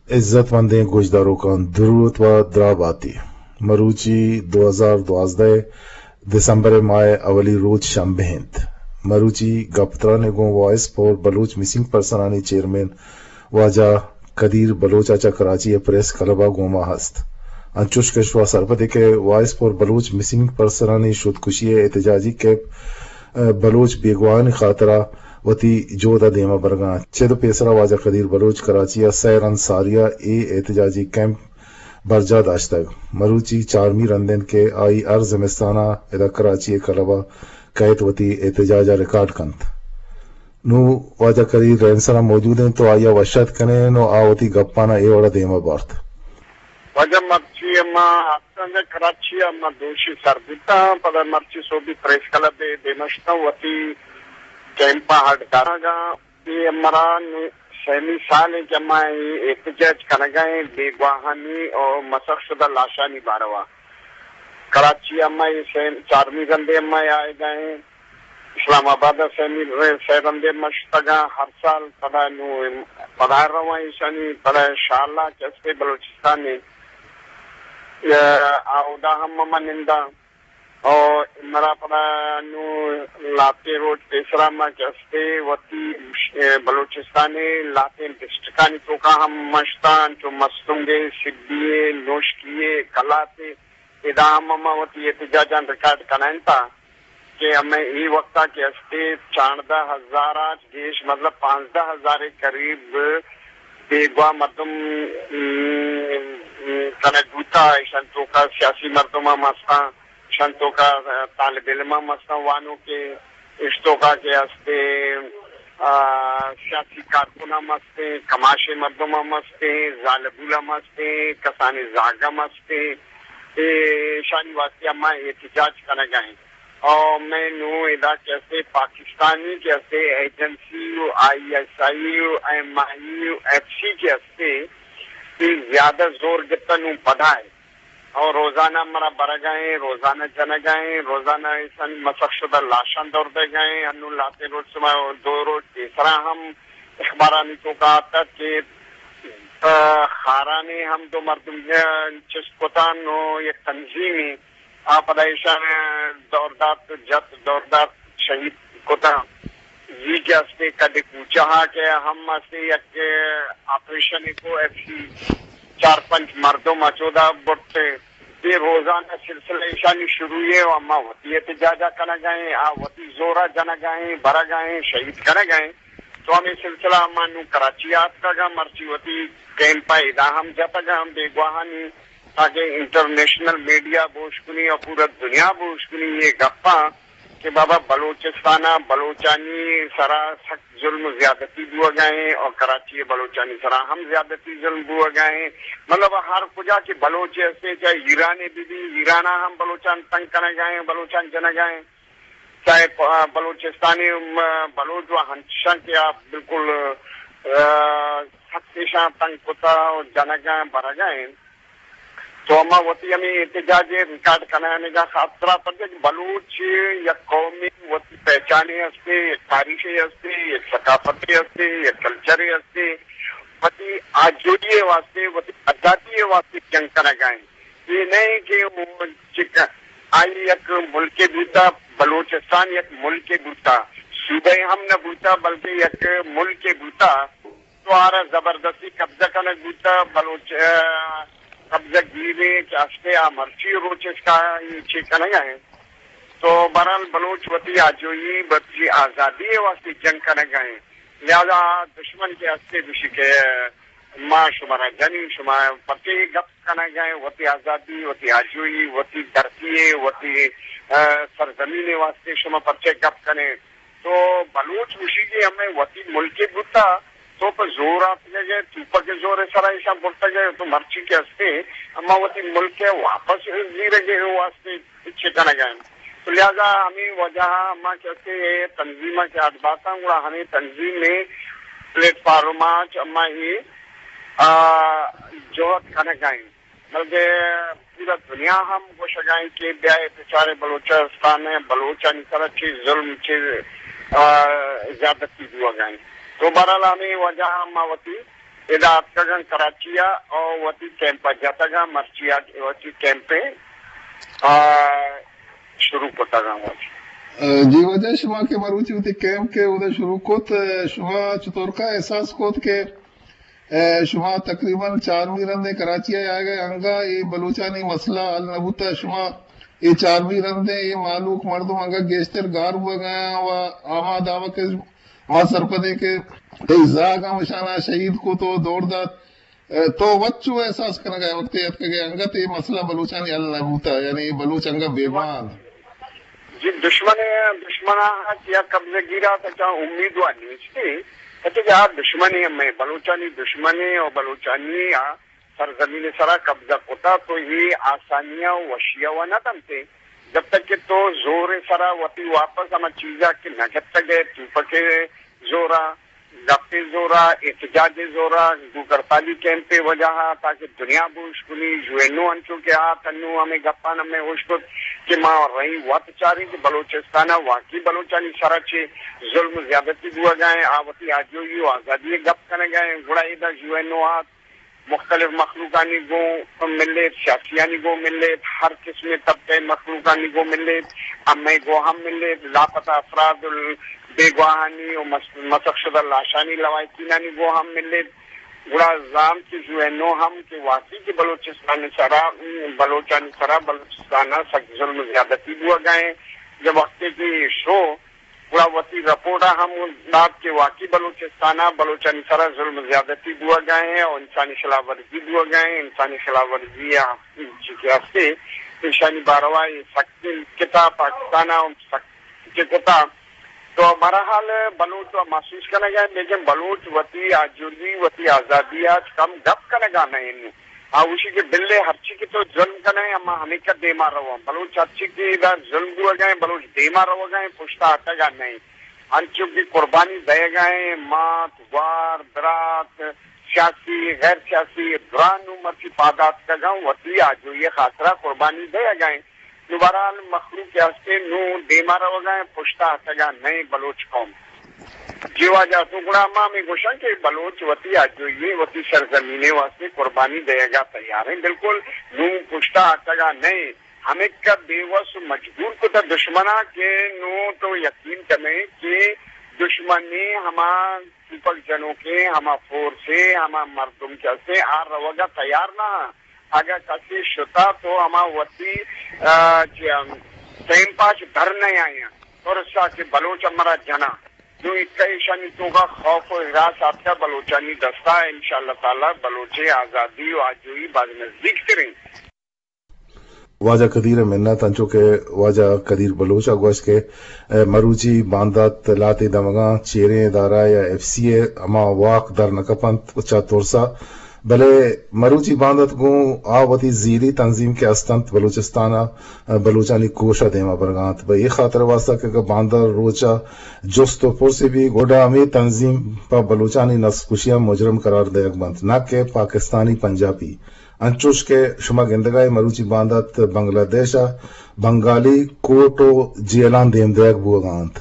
عزت مندیں گوشداروکاں دروت و دراہ باتی۔ مروچی دو ہزار دوازدہ دسمبر ء ماہ ء اولی روچ شنبہ انت۔ مروچی گپ تران ء گوں وائس فار بلوچ مسنگ پرسنانی چیئرمین واجہ قدیر بلوچ ء چہ کراچی ء پریس کلب ء گوما ہست۔ انچوش کہ شما سرپد ء کہ وائس فار بلوچ مسنگ پرسنانی شدکشی ء احتجاجی کیمپ ء بلوچ بیگواہانی خاطرا وتی جہد ء دیما برگا انت۔ چد ء پیسرا واجہ قدیر بلوچ کراچی ء سئے رند ساری ء اے احتجاجی کیمپ برجاہ داشتگ۔ مروچی چارمی رند انت کہ آئی ہر زمستان ء ادا کراچی ء کلب ء کئیت وتی احتجاج ء ریکارڈ کنت۔ نوں واجہ قدیر رہنسر ء موجود انت تو آئی ء وش اتک کنیں نوں آ وتی گپاں ء اے وڑ ء دیما بارت۔ واجہ مرچی ما ہفتگ کراچی ء ما دوشی سر بوتاں، پدا مرچی سوبی پریس کلب ء دیما شتاں وتی کیمپ ء ہڈ دارگ ء۔ اے ہمرا نوں سیمی سال انت کہ ما اے احتجاج کنگا ایں بیگواہانی اور مسخ شدہ لاشانی باروا۔ کراچی ء ما اے سیم-، چارمی رندے ما آئیگا ایں۔ اسلام آباد ء سیمی رے-، سئے رندے ما شتگاں ہر سال، پدا نوں پدا رواں ایشانی، پدا انشاءاللہ کہ استے بلوچستان ء، آ، اودا ہم ما ننداں۔ او مرا پدا نوں لہتیں روچ پیسرا ما کہ استے وتی، اے، بلوچستان ء لہتیں ڈسٹرکٹانی توکا ہم ما شتاں، چو مستونگ ء، سبی ء، نوشکی ء، کلات ء، ادا ہم ما وتی احتجاجاں ریکارڈ کنائینتا کہ ہمے اے وقتا کہ استے چاردہ ہزار ء گیش، مطلب پانزدہ ہزار ء قریب بیگواہ مردم، م، م، کنگ بوتا، ایشان توکا سیاسی مردم ہم ہستاں۔ شن توکا طالب علم ہم ہستاں، وانوکے اش توکا کہ ہستے، آ، سیاسی کارکن ہم ہستے، کماشے مردم ہم ہستے، زالبول ہم ہستے، کسانی زاگ ہم ہستے۔ اے شانی واسطے ہم احتجاج کنگا ہیں۔ اور میں نوں ادا کہ ہستے پاکستانی کہ ہستے ایجنسی و آئی ایس آئی و ایم آئی و ایف سی کہ ہستے، اے زیادہ زور گپتا نوں پدا ہے۔ اور روزانہ مرا برگا ہیں، روزانہ جنگا ہیں، روزانہ ایسن مسخ شدہ لاشان دور دے گئے ہیں۔ انو لہتیں روچ سما دو روچ پیسرا ہم اخبارانی توکا آتا کہ، آ، خارانے ہم دو مردم چست کتان و یک تنظیمی آ پدا ایشان دور دات، جت دور دات، شہید کتان۔ زی کہ استے کد کوچہ کہ ہم استے یک آپریشن کو ایف سی چار پنچ مردم اچودا برتے۔ اے روزانہ سلسلہ ایشانی شروع ہے و اما وتی احتجاجا کنگا ہیں، آ وتی زورا جنگا ہیں، برگا ہیں، شہید کنگا ہیں۔ تو ہمیں سلسلہ اما نوں کراچی آتکگا، مرچی وتی کیمپا ادا ہم جتگا ہم بیگواہانی تاکہ انٹرنیشنل میڈیا بوش کنی اور پورا دنیا بوش کنی یہ گپاں کہ بابا بلوچستان ء بلوچانی سرا سخت ظلم و زیادتی بوگا ہیں اور کراچی ء بلوچانی سرا ہم زیادتی ظلم بوگا ہیں۔ مطلب ہر کجا کہ بلوچ ہستے، چاہے ایران ء بھی، بھی ایران ء ہم بلوچان تنگ کنگا ہیں، بلوچان جنگا ہیں، چاہے پ-، بلوچستانی م-، بلوچ و ہنچشان کہ آپ بالکل، آ، سخت ایشاں تنگ کتا و جنگا برگا ہیں۔ تو ہما وتی ہمیں احتجاج ء ریکارڈ کنانگا خاص طرح پر کہ بلوچ یک قومے وتی پہچانے ہستے، یک تاریخے ہستے، یک ثقافتے ہستے، یک کلچرے ہستے، وتی آجوئی ء واسطے، وتی آزادی ء واسطے جنگ کنگا ہیں۔ یہ نہیں کہ وہ چک-، آئی یک ملکے بوتا، بلوچستان یک ملکے بوتا، صوبہ ہم نہ بوتا بلکہ یک ملکے بوتا۔ تو آرا زبردستی قبضہ کنگ بوتا، بلوچ، آ، قبضہ گیرے کہ ہستے آ مرچی روچ اس کا یہ چی کنگا ہیں۔ تو بہرحال بلوچ وتی آجوئی، وتی آزادی واسطے جنگ کنگا ہیں۔ لہذا دشمن کے ہستے دوشی کہ ما شمارا جنی، شما پتے گپ کنگا ہیں، وتی آزادی، وتی آجوئی، وتی دھرتی، وتی، آ، سرزمین واسطے شما پرچے گپ کنے۔ تو بلوچ گوشی کہ ہمیں وتی ملک بوتا، تو پہ زور آتکگے، توپک زور سرا ایشاں برتگے، تو مرچی کہ ہستے، اما وتی ملک واپس زیرگے واسطے چی کنگا ہیں۔ تو لہذا ہمیں وجہ ہما کہ ہستے یہ تنظیمہ کہ اڈ باتاں، گڑا ہمیں تنظیم میں پلیٹ فارم آچ اما یہ، آ، جہد کنگا ہیں۔ بلکہ پورا دنیا ہم گوشگا ہیں کہ بیا اے بچارے بلوچستان ء بلوچانی سرا چی ظلم، چی، آ، زیادتی بوگا ہیں۔ تو بہرحال ہمیں وجہ ہم ما وتی ادا اتکگاں کراچی ءَ او وتی کیمپ ءَ جتگاں، مرچی ءَ وتی کیمپ ءَ، آ، شروع کتگاں وتی۔ جی واجہ، شما کہ مروچی وتی کیمپ کہ اودا شروع کت، شما چطور کا احساس کت کہ، اے، شما تقریباً چارمی رندے کراچی ءَ آئیگ ءَ انگا اے بلوچانی مسئلہ حل نہ بوتا، شما اے چارمی رندے اے مہلوک مردم انگا گیشتر گار بوگ ءَ و آماد آوک ما سرپدیں کہ تئی زاگ ہم اشانا شہید کت و دور دات۔ اے، تو وت چو احساس کنگا ئے وقتے اتکگے انگت اے مسئلہ بلوچانی حل نہ بوتا، یعنی بلوچ انگا بیگواہ انت؟ جی، دشمن، دشمن آ کہ یا قبضہ گیر آ تا چا امید وا نیستی، کہ آ دشمن ہمیں بلوچانی دشمن و بلوچانی آ سرزمین سرا قبضہ کتا تو یہ آسانیاں و وشیاں و نہ دنتے۔ جب تک کہ تو زور سرا وتی واپس ہما چیزا کہ نہ گپتگ ئے، توپک زورا، گپے زورا، احتجاج زورا، بھوک ہڑتالی کیمپے وجہ ءَ تاکہ دنیا بوش کنی، یو این او انچو کہ آ تنو ہمیں گپان ہمیں ہوش کت کہ ما رہی وت چاریں کہ بلوچستان ءَ واقعی بلوچانی سرا چے ظلم و زیادتی بوگا ایں، آ وتی آجوئی و آزادی گپ کنگا ایں، گڑا ادا یو این او آت، مختلف مخلوقانی گوں ملیت، سیاسیانی گوں ملیت، ہر قسم طبقہ مخلوقانی گوں ملیت، ہمے گوں ہم ملیت، لاپتہ افراد ال-، بیگواہانی و مس-، مسخ شدہ لاشانی لواحقینانی گوں ہم ملیت۔ گڑا زانت کہ یو این او ہم کہ واقعی کہ بلوچستان سرا، بلوچانی سرا بلوچستان سک ظلم زیادتی بوگا ایں۔ جب وقتے کہ شو گڑا وتی رپورٹ ءَ ہم دات کہ واقعی بلوچستان ءَ بلوچانی سرا ظلم زیادتی بوگا ایں اور انسانی خلاف ورزی بوگا ایں، انسانی خلاف ورزی ءَ چی کہ ہستے ایشانی باروا سخت کتا پاکستان ءَ سخت کہ کتا۔ تو بہرحال بلوچ تو محسوس کنگا ایں، لیکن بلوچ وتی آجوئی، وتی آزادی ءَ کم گپ کنگا نہ انت۔ آ گوشی کہ بلے ہرچی کہ تو ظلم کنئے، اما ہمیکا دیما رواں۔ بلوچ ہرچی کہ ادا ظلم بوگا ایں، بلوچ دیما روگا ایں، پشتا ہٹگا نہ ایں۔ انچو کہ قربانی دئیگا ایں، مات، گوار، برات، سیاسی، غیر سیاسی، درا نوں مرچی پاد آتکگاں، وتی آجوئی خاطرا قربانی دئیگا ایں۔ نوں بہرحال مخلوق کہ ہستے نوں دیما روگا ایں، پشتا ہٹگا نہ ایں بلوچ قوم۔ جی واجہ، تو گڑا ما ہمے گوشاں کہ بلوچ وتی آجوئی، وتی سرزمین واسطے قربانی دئیگا تیار ایں۔ بالکل نوں پشتا ہٹگا نہ ایں۔ ہمیکا بے وس و مجبور کتا دشمنا کہ نوں تو یقین کنے کہ دشمنی ہما توپک جنوکیں، ہما فورسے، ہما مردم کہ ہستے آ روگا تیار نہ۔ اگاں کسے شتا تو ہما وتی، آ، چی، آ، ٹیم پاس در نہ آیاں۔ ترسا کہ بلوچ مرا جنا۔ نوں اکا ایشانی توکا خوف و ہراس آتکا بلوچانی دستا، انشاءاللہ تعالی بلوچ آزادی و آجوئی باز نزدیک تریں۔ واجہ قدیر ءِ منت، انچو کہ واجہ قدیر بلوچ ءَ گوشت کہ، اے، مروچی باندات لہتے دمگاں چیریں ادارہ یا ایف سی ءِ ہما واک در نہ کپنت چہ ترس ءَ، بلے مروچی باندات گوں آ وتی زیری تنظیم کہ استنت بلوچستان ءَ بلوچانی کوش ءَ دیما برگ ءَ انت۔ بہ اے خاطر ءِ واستہ کہ اگاں باندات روچ ءَ جست و پرسے بی، گڈا ہمے تنظیم پہ بلوچانی نسل کشی ءَ مجرم قرار دئیگ بنت، نہ کہ پاکستانی پنجابی۔ انچوش کہ شما گندگا اے مروچی باندات بنگلہ دیش ءَ بنگالی کورٹ و جیلاں دیم دئیگ بوگا انت۔